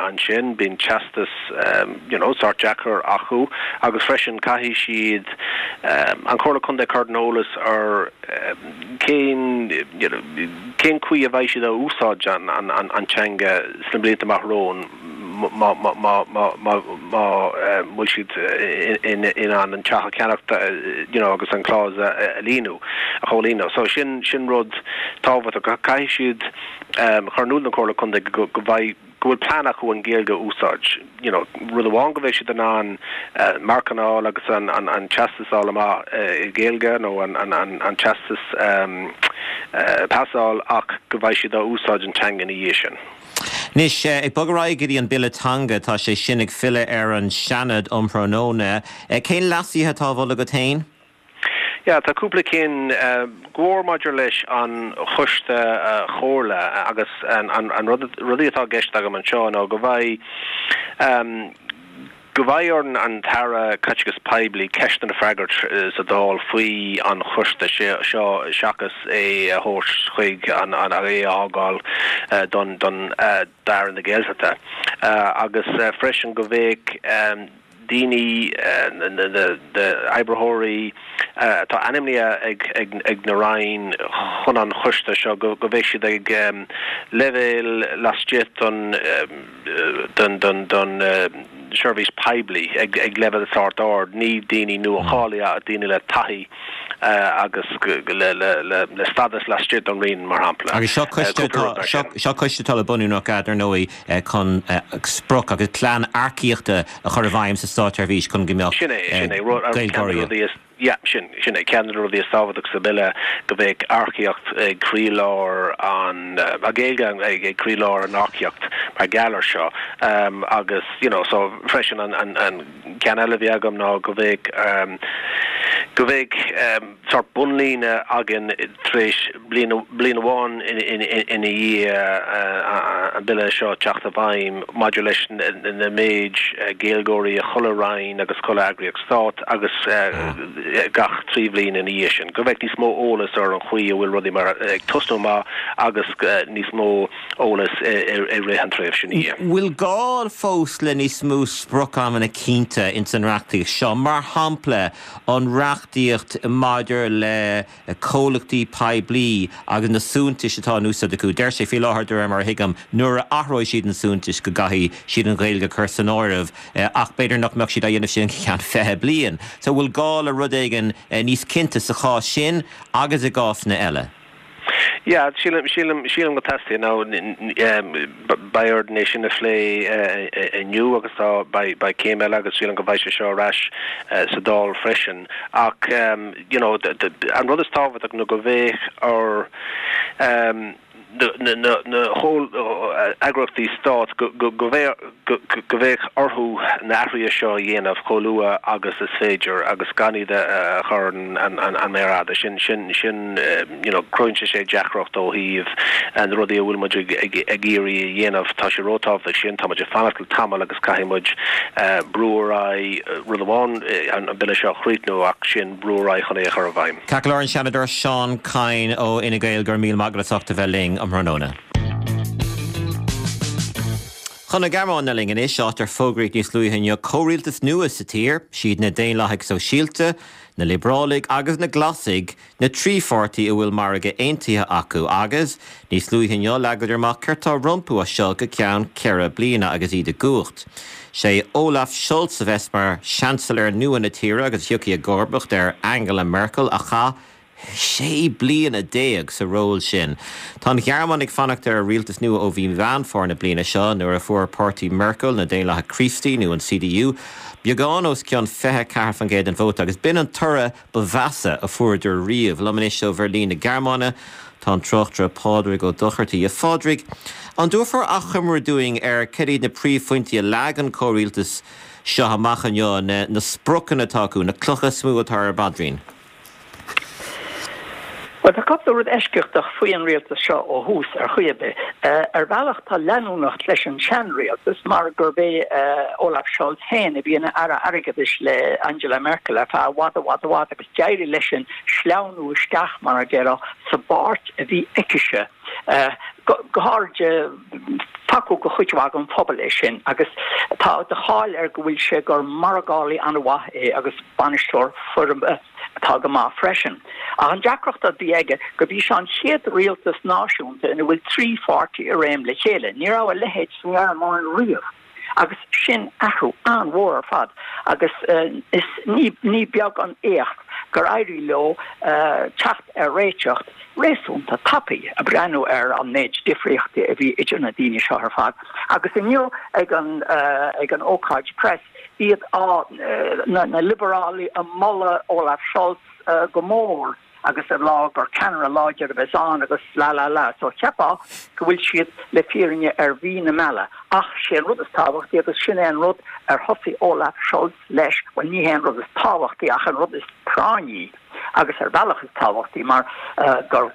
ansin, bíonn teastas ehm you know, sórt deacair acu agus freisin caithfidh siad ehm an Chomhairle Contae a chur ar an eolas ar cén you know, cén chaoi a bheidh siad a úsáid an an an teanga sna blianta amach romhainn. má bhfuil siad in ann an teach a cheannacht you know agus an clause a líonadh, a chomhlíonadh. So sin sin rud tábhachtach. Caithfidh siad chur in iúl don Chomhairle Contae go go bhfaighidh go bhfuil plean acu an Ghaeilge a úsáid. You know rud amháin go mbeidh siad in ann marcanna a fháil agus an an an teastas a fháil amach i Gaeilge nó an an an an teastas pasáil ach go mbeidh siad á úsáid an teanga ina dhiaidh sin. Anois, ag bogadh ar aghaidh go dtí an Bille Teanga, tá sé sin ag filleadh ar an Seanad um thráthnóna. Cén leasuithe atá á mholadh agat féin? Yeah, tá cúpla cinn, go mór maidir leis an Choiste Chomhairle agus an rud, rudaí atá i gceist agam anseo ná go mbeidh, go mbeidh ar an tAire Caiteachais Poiblí ceisteanna a fhreagairt sa Dáil faoi an choiste seo seachas é a thabhairt chuig an é a fhágáil don don d'Aire na Gaeltachta agus freisin go mbeadh daoine na oibritheoirí atá ainmnithe ag ag na Roinn chun an choiste seo go mbeidh siad ag leibhéal laistigh den don don seirbhís poiblí ag ag leibhéal sórt ard, ní daoine nua-cháilithe ach daoine le taithí agus le le le le stádas laistigh den Roinn, mar shampla. Agus seo coiste atá seo seo coiste atá le bunú nach ea, dar ndóigh, chun sprioc agus plean earcaíochta a chur i bhfeidhm sa státseirbhís chun go mbeadh Sin é, sin é, rud, ceann de na rudaí is. Yeah, sin, sin é ceann de na rudaí is tábhachtach sa Bhille, go mbeadh earcaíocht ag croílár an, an Ghaeilge ag, ag croílár an earcaíocht mar gheall ar seo. Agus, you know, so freisin an, an, an ceann eile a bhí agam ná go mbeadh, go mbeadh sórt bunlíne againn tar éis bliain, bliain amháin ina dhiaidh an Bille seo teacht i bhfeidhm maidir leis na méid Gaeilgeoirí i chuile Roinn agus chuile eagraíocht Stáit agus gach 3 bhliain ina dhiaidh sin, go mbeadh níos mó eolas ar an chaoi a bhfuil rudaí mar ag tosnú amach agus níos mó eolas i rith an tréimhse ina dhiaidh. Bhfuil gá fós le níos mó sprioc-amanna cinnte ins an reachtaíocht seo, mar shampla an reachtaíocht maidir le comhlachtaí poiblí agus na suaitheantais atá in úsáid acu. Deir sé faoi láthair, de réir mar a thuigim, nuair a athróidh siad an suaitheantas go gcaithfidh siad an Ghaeilge a chur san áireamh ach b'fhéidir nach mbeadh siad á dhéanamh sin go ceann 20 bliain. So bhfuil gá le rud éigin níos cinnte sa chás sin agus i gcásanna eile? Yeah, sílim, sílim, sílim go dteastaíonn. Now, beidh orainn é sin a phlé inniu agus tá, beidh, beidh céim eile agus sílim go mbeidh sé seo ar ais sa Dáil freisin. Ach, you know, an rud is tábhachtach ná go mbeadh ar, na heagraíochtaí stáit go mbeadh orthu na athruithe seo a dhéanamh chomh luath agus is féidir agus gan iad a chur ar an méar fhada. Sin, sin, sin, you know, cruthaíonn sé sé deacracht ó thaobh na rudaí a bhfuil muid ag iarraidh a dhéanamh. Tá sé róthábhachtach sin, tá muid ag fanacht le tamall agus caithfidh muid brú ar aghaidh, rud amháin an bille seo a chríochnú ach sin brú ar aghaidh chun é a chur i bhfeidhm. Ceart go leor, an Seanadóir Seán Kyne ó Fhine Gael, go raibh míle maith agat as ucht a bheith linn um thráthnóna. Chun na Gearmáine linn anois, áit ar fógraíodh níos luaithe inniu comhrialtas nua sa tír. Siad na Daonlathaigh Sóisialta, na Liobrálaigh agus na Glasaigh na trí pháirtí a bhfuil margadh aontaithe acu agus, níos luaithe inniu, leagadar amach céard tá rompu as seo go ceann ceithre bliana agus iad i gcumhacht. Sé Olaf Scholz a bheas mar Seansailéir nua na tíre agus a thiocfaidh i gcomharbacht ar Angela Merkel a chaith 16 bliana sa ról sin. Tá an Ghearmáin ag fanacht ar rialtas nua ó mhí Mheán Fómhair na bliana seo nuair a fuair páirtí Merkel, na Daonlathaigh Críostaí nó an CDU, beagán os cionn 24% den vóta agus b'in an toradh ba mheasa a fuaireadar riamh. Liom anois ó Bheirlín na Gearmáine tá an tráchtaire Pádraig Ó Dochartaigh. A Phádraig, an dtabharfá achoimre dúinn ar cad iad na príomhphointí a leag an comhrialtas seo amach inniu, na spriocanna atá acu, na clocha is mó atá ar a bpaidrín? Bhuel, tá cúpla rud eisceachtach faoi an rialtas seo ó thús, ar chaoi ar bith. Ar bhealach tá leanúnacht leis an seanrialtas mar gurb é Olaf Scholz féin a bhí ina Aire Airgeadais le Angela Merkel ar feadh i bhfad i bhfad i bhfad agus d'éirigh leisean sleamhnú isteach, mar a déarfá, sa bpáirt a bhí aicise. Go háirid, tacú do chuid mhaith den phobal é sin agus tá de cháil air go bhfuil sé gur margálaí an-mhaith é agus bainisteoir feirme atá go maith freisin. Ach an deacracht a bhí aige gurb í seo an chéad rialtas náisiúnta ina bhfuil trí pháirtí i réim le chéile. Ní raibh a leithéid sa nGearmáin riamh. Agus sin athrú an-mhór ar fad agus is ní beag an éacht gur éirigh leo teacht ar réiteach réasúnta tapaidh, ag breathnú ar an méid difríochtaí a bhí idir na daoine seo ar fad. Agus inniu ag an ag an ócáid press, iad á, na Liobarálaigh ag moladh Olaf Scholz go mór agus ag rá gur ceannaire láidir a bheas ann agus la la la. So cheapfá go bhfuil siad le fírinne ar mhí na meala. Ach sé an rud is tábhachtaí agus sin é an rud ar thosaigh Olaf Scholz leis, bhuel ní hé an rud is tábhachtaí ach an rud is práinní agus ar bhealach is tábhachtaí mar gur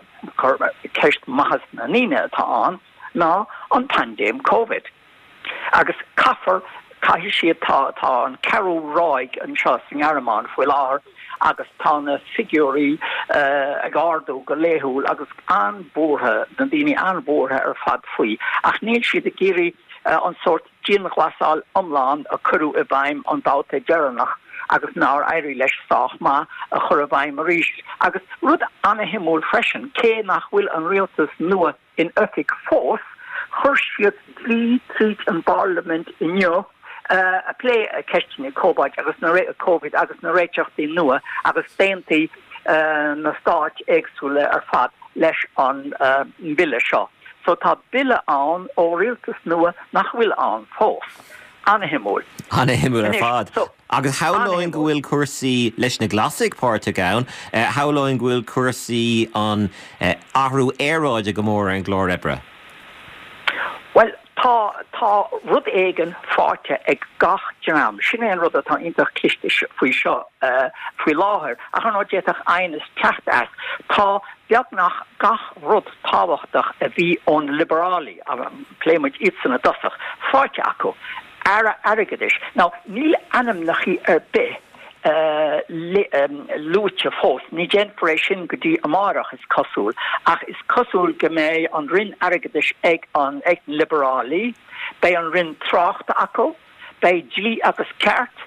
ceist maitheas na ndaoine atá ann, ná an paindéim Covid. Agus caithfear, caithfidh siad, tá, tá an ceathrú ráig anseo sa nGearmáin faoi láthair agus tá na figiúirí ag ardú go laethúil agus an-bhuartha, na daoine an-bhuartha ar fad faoi. Ach níl siad ag iarraidh an sórt dianghlasáil iomlán a cuireadh i bhfeidhm an babhta deireanach agus nár éirigh leis sách maith a chur i bhfeidhm arís. Agus rud an-shuimiúil freisin, cé nach bhfuil an rialtas nua in oifig fós, chuir siad dlí tríd an bparlaimint inniu a pléigh ceisteanna Covid agus na Covid agus na réiteachtaí nua agus d'aontaigh na stáit éagsúla ar fad leis an mbille seo. So tá bille ann ó rialtas nua nach bhfuil ann fós. Ana-shuimiúil. Ana-shuimiúil ar fad. Agus shamhlóinn go bhfuil cúrsaí leis na Glasaigh páirteach ann, shamhlóinn go bhfuil cúrsaí an athrú aeráide go mór ar an gclár oibre. Bhuel, tá, tá rud éigin faighte ag gach dream. Sin é an rud atá iontach cliste faoi seo faoi láthair, ach ar ndóigh d'fhéadfadh aighneas teacht as. Tá beagnach gach rud tábhachtach a bhí ó na Liobarálaigh, pléigh muid iadsan i dtosach, faighte acu. Aire Airgeadais. Now, níl ainmneachaí ar bith luaite fós, ní déanfar é sin go dtí amáireach, is cosúil, ach is cosúil go mbeidh an Roinn Airgeadais ag an ag na Liobarálaigh, beidh an Roinn Tráchta acu, beidh Dlí agus Ceart,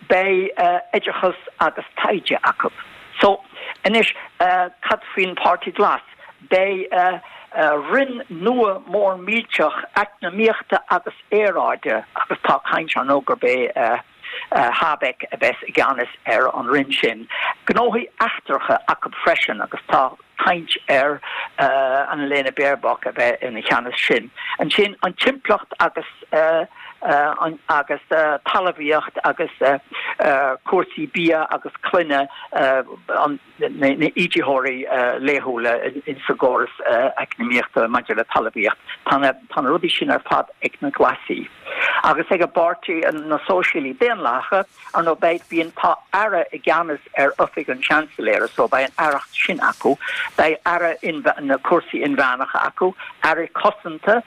beidh Oideachas agus Taighde acu. So, anois, cad faoin Páirtí Glas? Beidh roinn nua mór millteach eacnamaíochta agus aeráide agus tá caint ann gurb é Habeck a bheas i gceannas ar an roinn sin. Gnóthaí eachtracha acu freisin agus tá. caint ar Annalena Baerbock a bheith ina cheannas sin. Ansin an timpeallacht agus agus talmhaíocht agus cúrsaí bia agus clainne an na íditheoirí laethúla sa gcóras eacnamaíochta maidir le talmhaíocht. Tá na rudaí sin ar fad ag na Glasaigh. Agus ag an bpáirtí, na Sóisialaigh Daonlathacha, ar ndóigh beidh, bíonn, tá aire i gceannas ar oifig an Seansailéara so beidh an aireacht sin acu, beidh aire na cúrsaí inmheánacha acu, aire cosanta,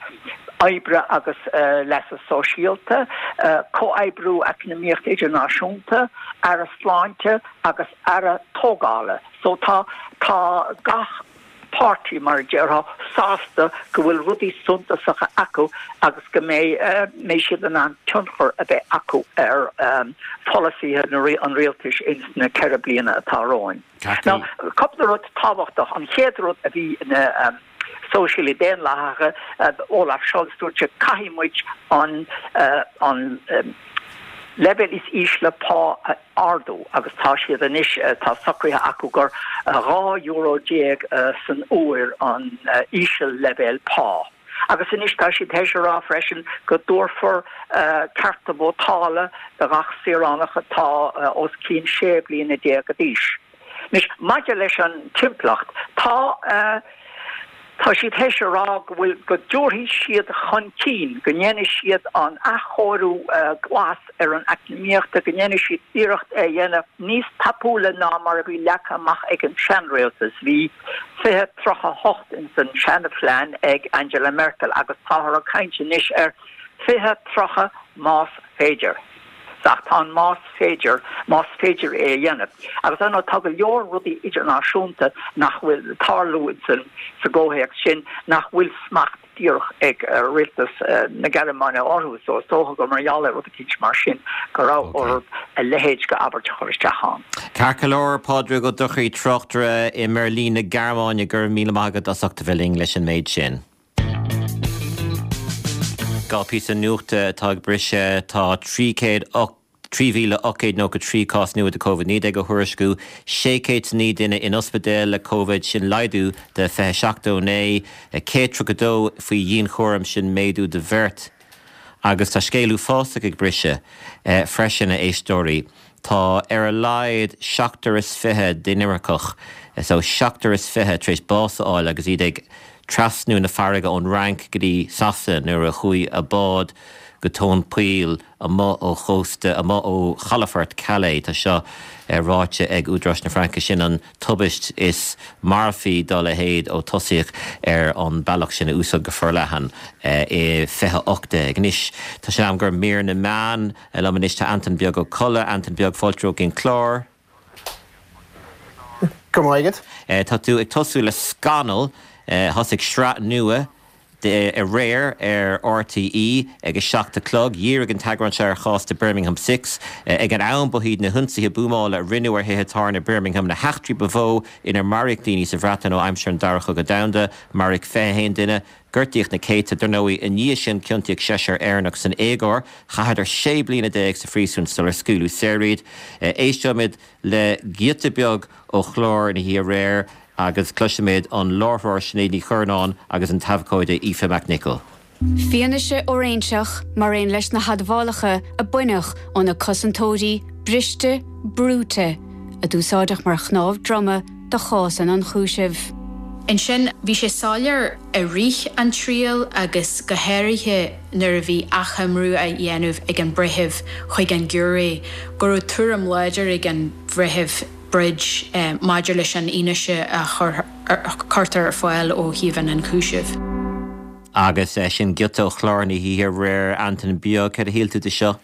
oibre agus leasa sóisialta, comhoibriú eacnamaíochta idirnáisiúnta, aire sláinte agus aire tógála. So tá, tá gach páirtí, mar a déarfá, sásta go bhfuil rudaí suntasacha acu agus go mbeidh, mbeidh siad in ann tionchar a bheith acu ar pholasaithe an rialtais ins na 4 bliana atá romhainn. Now, cúpla rud tábhachtach, an chéad rud a bhí na Sóisialaigh Daonlathacha, Olaf Scholz, dúirt sé caithfidh muid an, an leibhéal is ísle pá a ardú agus tá siad anois, tá socraithe acu gur 12 euro san uair an íseal-leibhéal pá. Agus anois tá siad théis a rá freisin go dtabharfar cearta vótála do ghach saoránach atá os cionn 16 bliana d'aois. Anois, maidir leis an timpeallacht, tá tá siad théis a rá go bhfuil, go dtabharfaidh siad chun cinn, go ndéanfaidh siad an athchóiriú glas ar an eacnamaíocht, go ndéanfaidh siad iarracht é a dhéanamh níos tapúla ná mar a bhí leagtha amach ag an seanrialtas. Bhí 2038 ins an seanphlean ag Angela Merkel agus táthar ag caint anois ar 2030 más féidir. Ach tá an más féidir, más féidir é a dhéanamh. Agus ar ndóigh tá go leor rudaí idirnáisiúnta nach bhfuil tarlú insan, sa gcomhthéacs sin, nach bhfuil smacht díreach ag rialtas na Gearmáine orthu. So is dócha gur mar gheall ar rud eicínt mar sin go raibh orthu a leithéid de abairt a chur isteach ann. Ceart go leor, Pádraig Ó Dochartaigh, tráchtaire i mBeirlín na Gearmáine, go raibh míle maith agat as ucht a bheith linn leis an méid sin. 2 phíosa nuachta atá ag briseadh. Tá 3,893 cás nua de Covid-19 á thuairisciú, 609 duine in ospidéal le Covid, sin laghdú de 27 ó inné, 132 faoi dhianchúram, sin méadú de bheirt. Agus tá scéal uafásach ag briseadh freisin, a éisteoirí. Tá ar a laghad seachtar is fiche d'inimirceach, so seachtar is fiche, tar éis bás a fháil agus iad ag trasnú na farraige ón Fhrainc go dtí Sasana nuair a chuaigh a bád go tóin poill amuigh ó chósta, amuigh ó chalafort Calais. Tá seo ráite ag údaráis na Fraince. Sin an tubaist is marfaí dá leithéid ó tosaíodh ar an bealach sin a úsáid go forleathan i 2018. Anois tá sé in am do mhír na meán. Liom anois tá Antain Beag Ó Colla. Antain Beag, fáilte romhat go dtí an clár. Go raibh maith agat. Tá tú ag tosú le Scannal. Thosaigh sraith nua de aréir ar RTÉ ag a 7 a chlog. Dhírigh an t-eagrán seo ar chás The Birmingham Six. Ag an am ba iad na hionsaithe buamála a rinneadh ar thithe tábhairne Birmingham na heachtraí ba mhó inar maraíodh daoine sa Bhreatain ó aimsir an Dara Cogadh Domhanda. Maraíodh 21 duine. Gortaíodh na céadta. Dar ndóigh, i ndiaidh sin ciontaíodh seisear Éireannach san éagóir. Chaitheadar 16 bliana sa phríosún sular scaoileadh saor iad. Éisteoimid le giota beag ó chlár na hoíche aréir agus cloisfimid an láithreoir Sinéad Ní Churnáin agus an t-abhcóide Aoife McNicholl. Fianaise fhóiréinseach mar aon leis na hadmhálacha a baineadh ó na cosantóirí briste, brúite, a d'úsáideadh mar chnámh droma do chás an ionchúisimh. Ansin, bhí sé soiléir i rith an triail agus go háirithe nuair a bhí achoimriú á dhéanamh ag an breitheamh chuig an giúiré go raibh tuairim láidir ag an Bhreitheamh Bridge maidir leis an fhianaise a chuirtear ar fáil ó thaobh an ionchúisimh. Agus sin giota ó chlár na hoíche aréir. Antain Beag, céard a shíl tú de seo?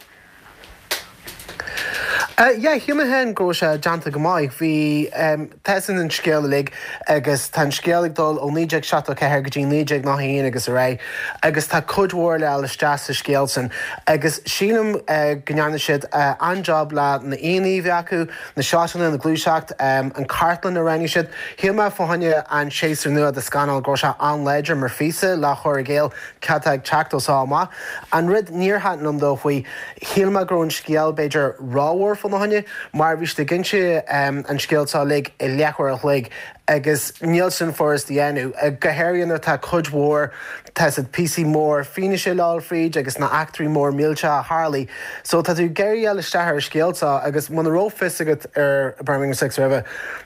Yeah, shíl mé féin go raibh sé déanta go maith. Bhí, tá a fhios againn an scéal uilig agus tá an scéal ag dul ó 1974 go dtí 1991 agus ar aghaidh agus tá cuid mhór le fháil isteach sa scéal sin agus sílim go ndearna siad an-job le na haíonna a bhí acu, na seotanna, na gluaiseacht, an cartlann a roghnaigh siad. Shíl mé fá choinne an séasúr nua de Scannal go raibh sé an-láidir mar phíosa le chur i gcéill cad tá ag teacht ó seo amach. An rud níor thaitin liom dó faoi, shíl mé go raibh an scéal b'fhéidir rómhór fá. fána choinne mar bhí siad ag inse an scéal seo uilig i leathuair a chloig agus níl sin furast a dhéanamh, go háirithe nuair atá cuid mhór, tá siad píosaí mór fianaise le dhul fríd agus na eachtraí mór millteacha a tharlaigh. So tá tú ag iarraidh a dhul isteach ar an scéal seo agus muna raibh fios agat ar Birmingham Six roimhe,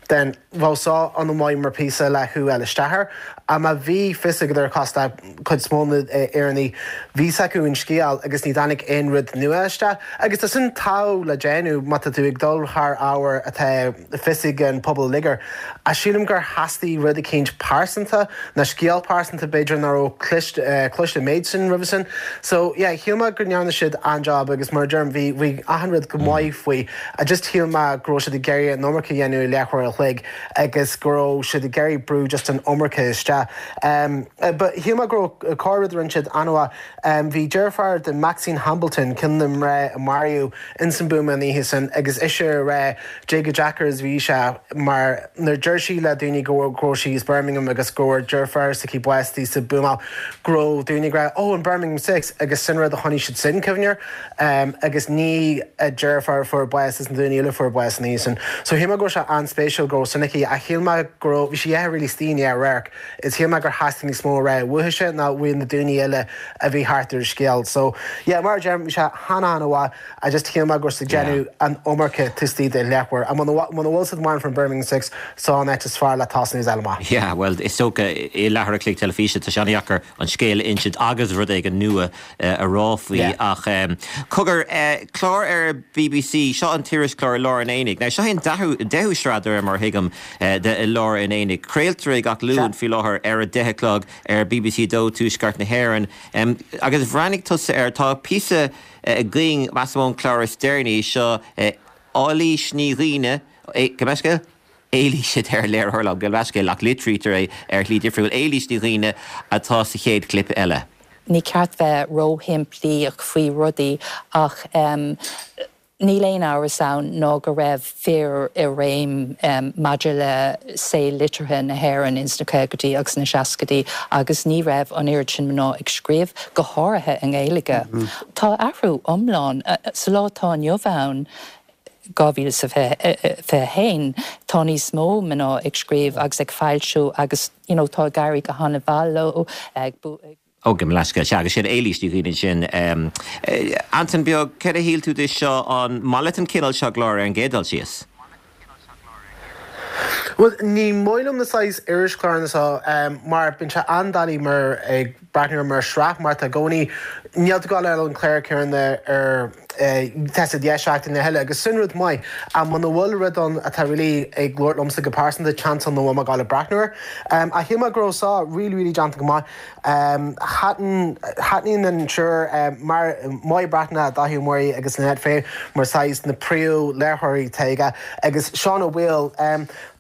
then bheadh seo an-mhaith mar phíosa le thú a fháil isteach air. Ach má bhí fios agat air cosúil le cuid is mó na Éireannaigh, bhí fhios acu an scéal agus ní dtáinig aon rud nua isteach. Agus tá sin togha le déanamh má tá tú ag dul thar ábhar atá fios ag an pobal uilig air. Ach sílim gur theastaigh rud eicínt pearsanta, nó scéal pearsanta b'fhéidir nach raibh cloiste an méid sin roimhe sin. So yeah, shíl mé go ndearna siad an-job agus mar a deirim, bhí bhí achan rud go maith faoi. I just shíl mé go raibh siad ag iarraidh an iomarca a dhéanamh i leathuair a chloig agus go raibh siad ag iarraidh brú just an iomarca isteach. But shíl mé go raibh corr-rud a rinne siad an-mhaith. Bhí deirfiúr de Maxine Hambleton, ceann de na mná a maraíodh ins an buama an oíche sin agus ise ag rá dé chomh deacair is bhí sé mar nuair deir sí le daoine go raibh sí as Birmingham agus go raibh deirfiúr s'aici básaithe sa buamáil go raibh daoine ag rá oh an Birmingham Six agus sin rud a choinnigh siad sin cuimhne air agus ní a deirfiúr a fuair bás is na daoine eile a fuair bás an oíche sin. So shíl mé go raibh sé an-spéisiúil go raibh sin aici ach shíl mé go raibh, bhí sí really istigh i ndá radharc. Is shíl mé gur theastaigh níos mó a rá uaithise ná uaidh na daoine eile a bhí thart ar an scéal. So, yeah, mar a deirim, bhí sé han-han-mhaith. I just shíl mé go raibh siad ag déanamh an iomarca taobh istigh de leathuair. Ach muna bhfuil siad mórán faoin Birmingham Six, seo an áit is fearr le tosnú is fháil amach. Yeah, bhuel, is dócha i leathuair a chloig teilifíse, tá sé an-dheacair an scéal a insint agus rud éigin nua a rá faoi. Ach cogar, clár ar bbc, seo an t-irischlár I Lár an Aonaigh. Now, seo é an deichiú sraith de réir mar a thuigim de I Lár an Aonaigh. Craoltar é gach Luan faoi láthair ar a deich a chlog ar bbc 2 Tuaisceart na hÉireann. Agus bhreathnaigh tusa air, tá píosa againn, measaim ón chlár is deireanaí, seo Eilís Ní Dhuibhne, gabh mo leithscéal? Éilís a deir léiritheoir liom, gabh mo leithscéal, ach litrítear é ar shlí difriúil, Éilís Ní Dhuibhne atá sa chéad chlip eile. Ní ceart bheith róshimplíoch faoi rudaí ach níl aon amhras ann ná go raibh fir i réim maidir le saol liteartha na hÉireann ins na caogaidí agus na seascaidí agus ní raibh an oiread sin mná ag scríobh, go háirithe i nGaeilge. Tá athrú iomlán sa lá atá inniu ann. 2021, tá níos mó mná ag scríobh agus ag foilsiú agus you know tá ag éirí go han-mhaith leo, ag. Ó, gabh mo leithscéal, sea, agus sin Éilís Ní Dhuibhne ansin. Antain Beag, céard a shíl tú de seo, an maith leat an cineál seo cláir ar an gcéad dul síos? Bhuel, ní maith liom na saghas irischláranna seo mar bíonn sé an-doiligh mar ag breathnú air mar shraith mar tá i gcónaí, níl tú ag gabháil a fháil an clár céanna ar tá sé 10 seachtain a thuilleadh agus sin rud maith ach muna bhfuil rud ann atá really ag labhairt liomsa go pearsanta seans ann nach bhfuil mé ag gabháil a breathnú air. Ach shíl mé go raibh seo really really déanta go maith. Thaitin thaitníonn an triúr mar Máire Breathnach, Dáithí Ó Muirí agus Lynette Fay mar saghas na príomh léiritheoirí atá aige agus Seán Ó Baoill.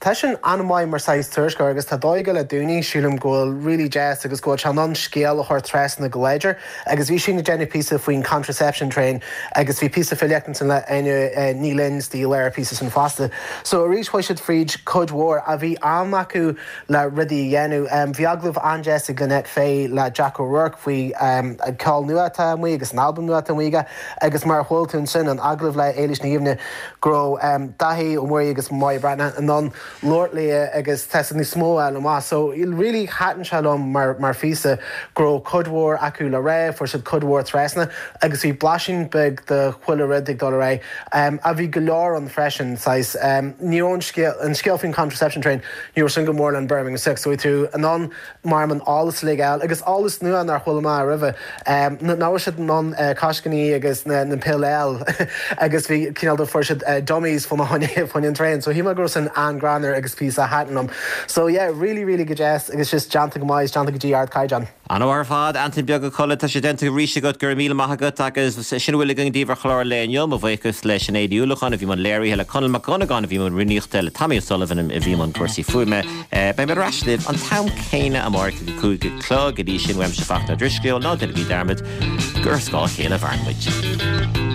Tá seisean an-mhaith mar saghas tuairisceoir agus tá dóigh aige le daoine, sílim go bhfuil really deas agus go bhfuil sé in ann scéal a chur trasna go láidir agus bhí sé ag déanamh píosa faoin contraception train agus bhí píosa filíochta ansin le Áine Ní Ghlinn istigh i lár an phíosa sin fosta. So arís chuaigh siad fríd cuid mhór ach bhí am acu le rudaí a dhéanamh. Bhí agallamh an-deas ag Lynette Fay le Jack O'Rourke faoi an ceol nua atá amuigh agus an albam nua atá amuigh aige agus mar a chuala tú ansin an agallamh le Éilís Ní Dhuibhne go raibh Dáithí Ó Muirí agus Máire Breathnach in ann labhairt léi agus tá siad níos mó a fháil amach. So really thaitin sé liom mar mar phíosa go raibh cuid mhór acu le rá, fuair siad cuid mhór trasna agus bhí blaisín beag de chuile rud ag dul ar aghaidh. Ach bhí go leor ann freisin, saghas, ní raibh an scéal, an scéal faoin contraception train, ní raibh sin go mór le an Birmingham Six, so bhí tú in ann mar an eolas uilig a fháil agus eolas nua nár chuala mé roimhe. Nach raibh siad in ann coiscíní agus na pill a fháil agus bhí cineál de fuair siad dummies fá choinne an traein. So shíl mé go raibh sin an-greannmhar agus píosa a thaitin liom. So yeah, really really go deas agus just déanta go maith is déanta go dtí ardchaighdeán. An-mhaith ar fad, Antain Beag a Cholla, tá sé déanta arís agat, go raibh míle maith agat agus sin a bhfuil againn daoibh ar chlár an lae inniu. Mo bhuíochas le Sinéad Ní Uallacháin a bhí i mbun léirithe, le Conall Mac Dhonnagáin a bhí i mbun rúnaíochta, le Tommy O'Sullivan a bhí i mbun cúrsaí fuaime. Beidh mé ar ais libh an t-am céanna amárach ag a 5 a chlog. Go dtí sin, uaimse Fachtna Ó Drisceoil, ná déanaigí dearmad gur ar scáth a chéile a mhaireann muid.